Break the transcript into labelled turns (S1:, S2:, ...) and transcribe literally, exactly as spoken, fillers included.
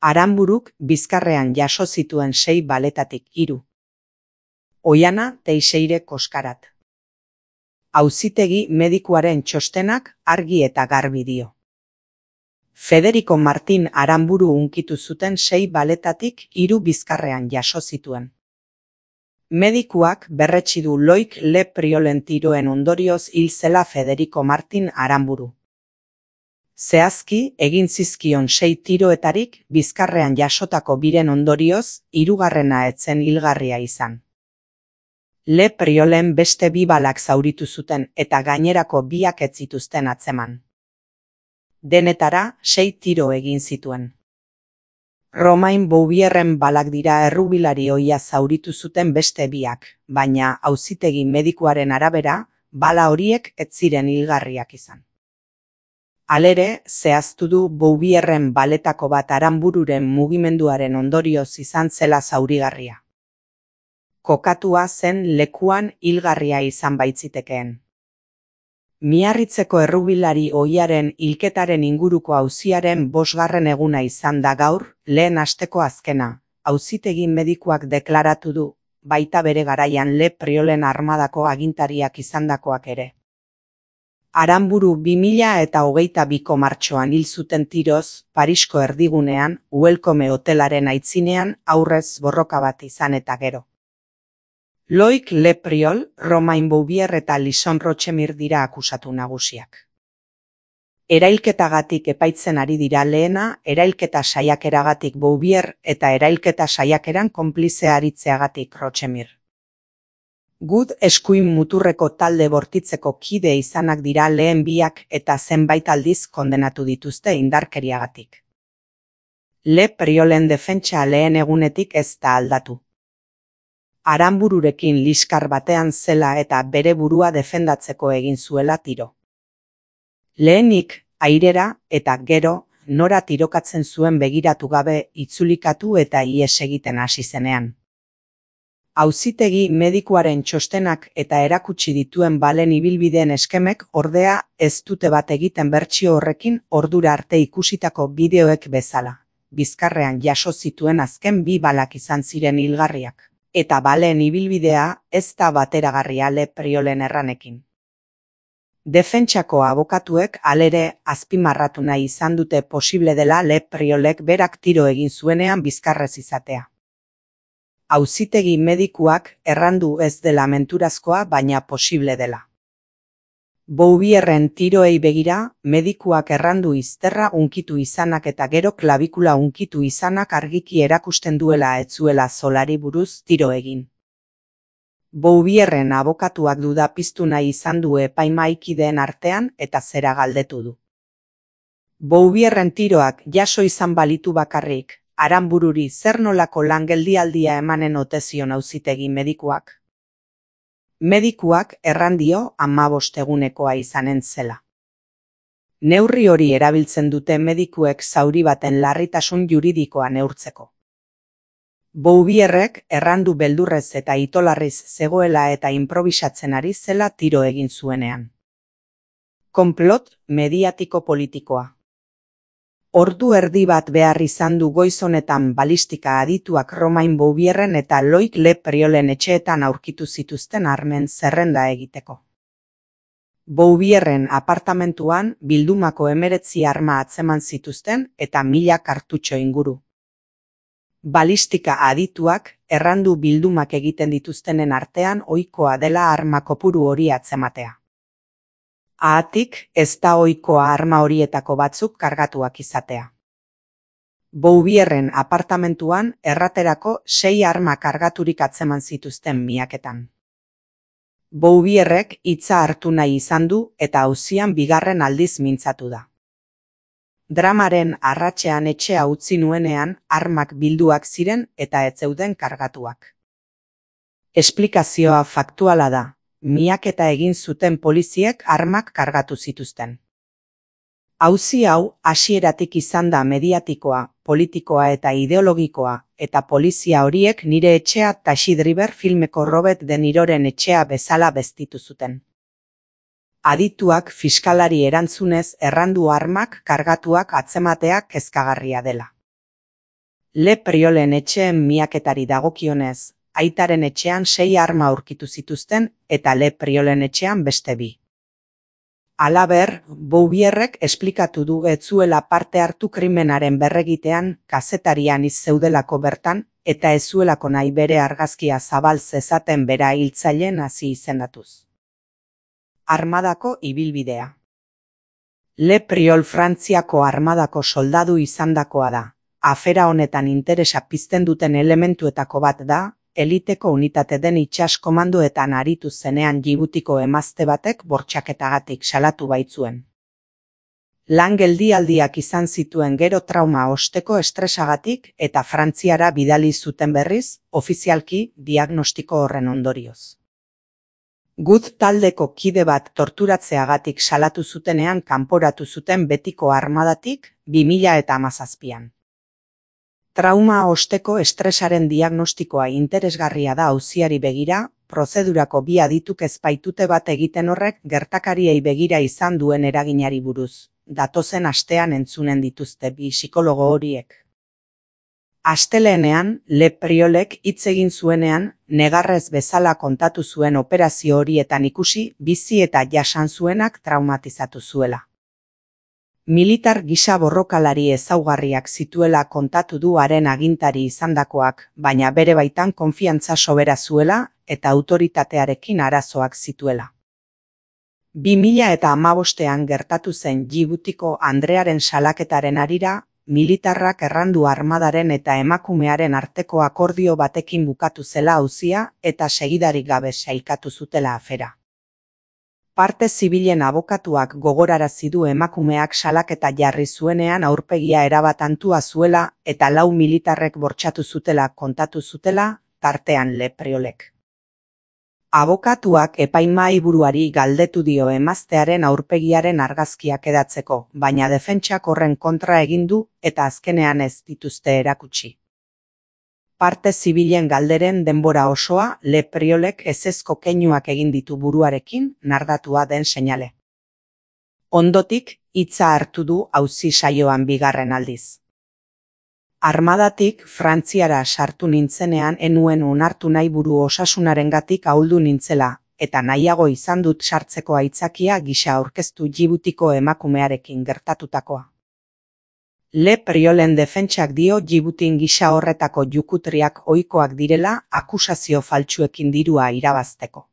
S1: Aranburuk bizkarrean jaso zituen sei baletatik hiru. Oiana Teixeire Koskarat. Auzitegi medikuaren txostenak argi eta garbi dio. Federico Martin Aranburu hunkitu zuten sei baletatik hiru bizkarrean jaso zituen. Medikuak berretsi du Loik Le Priolen tiroen ondorioz hil zela Federico Martin Aranburu. Zehazki, egin zizkion sei tiroetarik bizkarrean jasotako biren ondorioz, hirugarrena etzen hilgarria izan. Le Priolen beste bi balak zauritu zuten eta gainerako biak ez zituzten atzeman. Denetara, sei tiro egin zituen. Romain Bouvierren balak dira errubilari ohia zauritu zuten beste biak, baina auzitegi medikuaren arabera, bala horiek ez ziren hilgarriak izan. Halere, zehaztu du Bouvierren baletako bat Aranbururen mugimenduaren ondorioz izan zela zaurigarria. Kokatua zen lekuan hilgarria izan baitzitekeen. Miarritzeko errubilari ohiaren hilketaren inguruko auziaren bosgarren eguna izan da gaur, lehen asteko azkena, auzitegi medikuak deklaratu du, baita bere garaian Le Priolen armadako agintariak izandakoak ere. Aranburu bi mila eta hogeita biko martxoan hil zuten tiroz, Parisko erdigunean, Welcome hotelaren aitzinean aurrez borroka bat izan eta gero. Loik Le Priol, Romain Bouvier eta Lison Rochemir dira akusatu nagusiak. Erailketagatik epaitzen ari dira lehena, erailketa saiakeragatik Bouvier eta erailketa saiakeran konplize aritzeagatik Rochemir. Gud eskuin muturreko talde bortitzeko kide izanak dira lehen biak eta zenbait aldiz kondenatu dituzte indarkeriagatik. Le Priolen defentsa lehen egunetik ez da aldatu. Aranbururekin liskar batean zela eta bere burua defendatzeko egin zuela tiro. Lehenik, airera eta gero, nora tirokatzen zuen begiratu gabe itzulikatu eta ihes egiten hasi zenean. Auzitegi medikuaren txostenak eta erakutsi dituen balen ibilbideen eskemek ordea ez dute bat egiten bertsio horrekin ordura arte ikusitako bideoek bezala. Bizkarrean jaso zituen azken bi balak izan ziren hilgarriak. Eta baleen ibilbidea ez da bateragarria Le Priolen erranekin. Defentsako abokatuek halere azpimarratu nahi izan dute posible dela Le Priolek berak tiro egin zuenean bizkarrez izatea. Auzitegi medikuak errandu ez dela menturazkoa baina posible dela. Bouvierren tiroei begira, medikuak errandu izterra hunkitu izanak eta gero klabikula hunkitu izanak argiki erakusten duela ez zuela zolari buruz tiro egin. Bouvierren abokatuak duda piztu nahi izan du epaimaikideen artean eta zera galdetu du. Bouvierren tiroak jaso izan balitu bakarrik, Aranbururi zer nolako lan geldialdia emanen ote zion auzitegi medikuak? Medikuak errandio hamabost egunekoa izanen zela. Neurri hori erabiltzen dute medikuek zauri baten larritasun juridikoa neurtzeko. Bouvierrek errandu beldurrez eta itolarriz zegoela eta improbisatzen ari zela tiro egin zuenean. Konplot mediatiko politikoa. Ordu erdi bat behar izan du goiz honetan balistika adituak Romain Bouvierren eta Loik Le Priolen etxeetan aurkitu zituzten armen zerrenda egiteko. Bouvierren apartamentuan bildumako hemeretzi arma atzeman zituzten eta mila kartutxo inguru. Balistika adituak errandu bildumak egiten dituztenen artean ohikoa dela arma kopuru hori atzematea. Haatik, ez da ohikoa arma horietako batzuk kargatuak izatea. Bouvierren apartamentuan erraterako sei arma kargaturik atzeman zituzten miaketan. Bouvierrek hitza hartu nahi izan du eta auzian bigarren aldiz mintzatu da. Dramaren arratsean etxea utzi nuenean armak bilduak ziren eta ez zeuden kargatuak. Esplikazioa faktuala da. Miaketa egin zuten poliziek armak kargatu zituzten. Auzi hau hasieratik izan da mediatikoa, politikoa eta ideologikoa, eta polizia horiek nire etxea Taxi Driver filmeko Robert De Niroren etxea bezala beztitu zuten. Adituak fiskalari erantzunez errandu armak kargatuak atzematea kezkagarria dela. Le Priolen etxeen miaketari dagokionez, aitaren etxean sei arma aurkitu zituzten eta Le Priolen etxean beste bi. Halaber, Bouvierrek esplikatu du ez zuela parte hartu krimenaren berregitean kazetarian iz zeudelako bertan eta ez zuelako nahi bere argazkia zabal zezaten bera hiltzaileen hasi izendatuz. Armadako ibilbidea. Le Priol Frantziako armadako soldadu izandakoa da. Afera honetan interesa pizten duten elementuetako bat da, eliteko unitate den itsas komandoetan aritu zenean Djibutiko emazte batek bortxaketagatik salatu baitzuen. Lan geldialdiak izan zituen gero trauma osteko estresagatik eta Frantziara bidali zuten berriz, ofizialki diagnostiko horren ondorioz. Gut taldeko kide bat torturatzeagatik salatu zutenean kanporatu zuten betiko armadatik bi mila hamazazpian. Trauma osteko estresaren diagnostikoa interesgarria da auziari begira, prozedurako bi adituk ez baitute bat egiten horrek gertakariei begira izan duen eraginari buruz. Datozen astean entzunen dituzte bi psikologo horiek. Astelehenean, Le Priolek hitz egin zuenean, negarrez bezala kontatu zuen operazio horietan ikusi, bizi eta jasan zuenak traumatizatu zuela. Militar gisa borrokalari ezaugarriak zituela kontatu du haren agintari izandakoak, baina bere baitan konfiantza sobera zuela eta autoritatearekin arazoak zituela. bi mila hamabostean gertatu zen Djibutiko Andrearen salaketaren harira, militarrak errandu armadaren eta emakumearen arteko akordio batekin bukatu zela auzia eta segidarik gabe sailkatu zutela afera. Parte zibilen abokatuak gogorarazi du emakumeak salaketa jarri zuenean aurpegia erabat antua zuela eta lau militarrek bortxatu zutela kontatu zutela, tartean Le Priolek. Abokatuak epaimahaiburuari galdetu dio emaztearen aurpegiaren argazkiak edatzeko, baina defentsak horren kontra egin du eta azkenean ez dituzte erakutsi. Parte zibilen galderen denbora osoa Le Priolek ezezko keinuak egin ditu buruarekin nardatua den seinale. Ondotik, hitza hartu du auzi saioan bigarren aldiz. Armadatik Frantziara sartu nintzenean enuen onartu nahi buru osasunarengatik ahuldu nintzela, eta nahiago izan dut sartzeko aitzakia gisa aurkeztu Djibutiko emakumearekin gertatutakoa. Le Priolen defentsak dio Djibutin gisa horretako jukutriak ohikoak direla akusazio faltsuekin dirua irabazteko.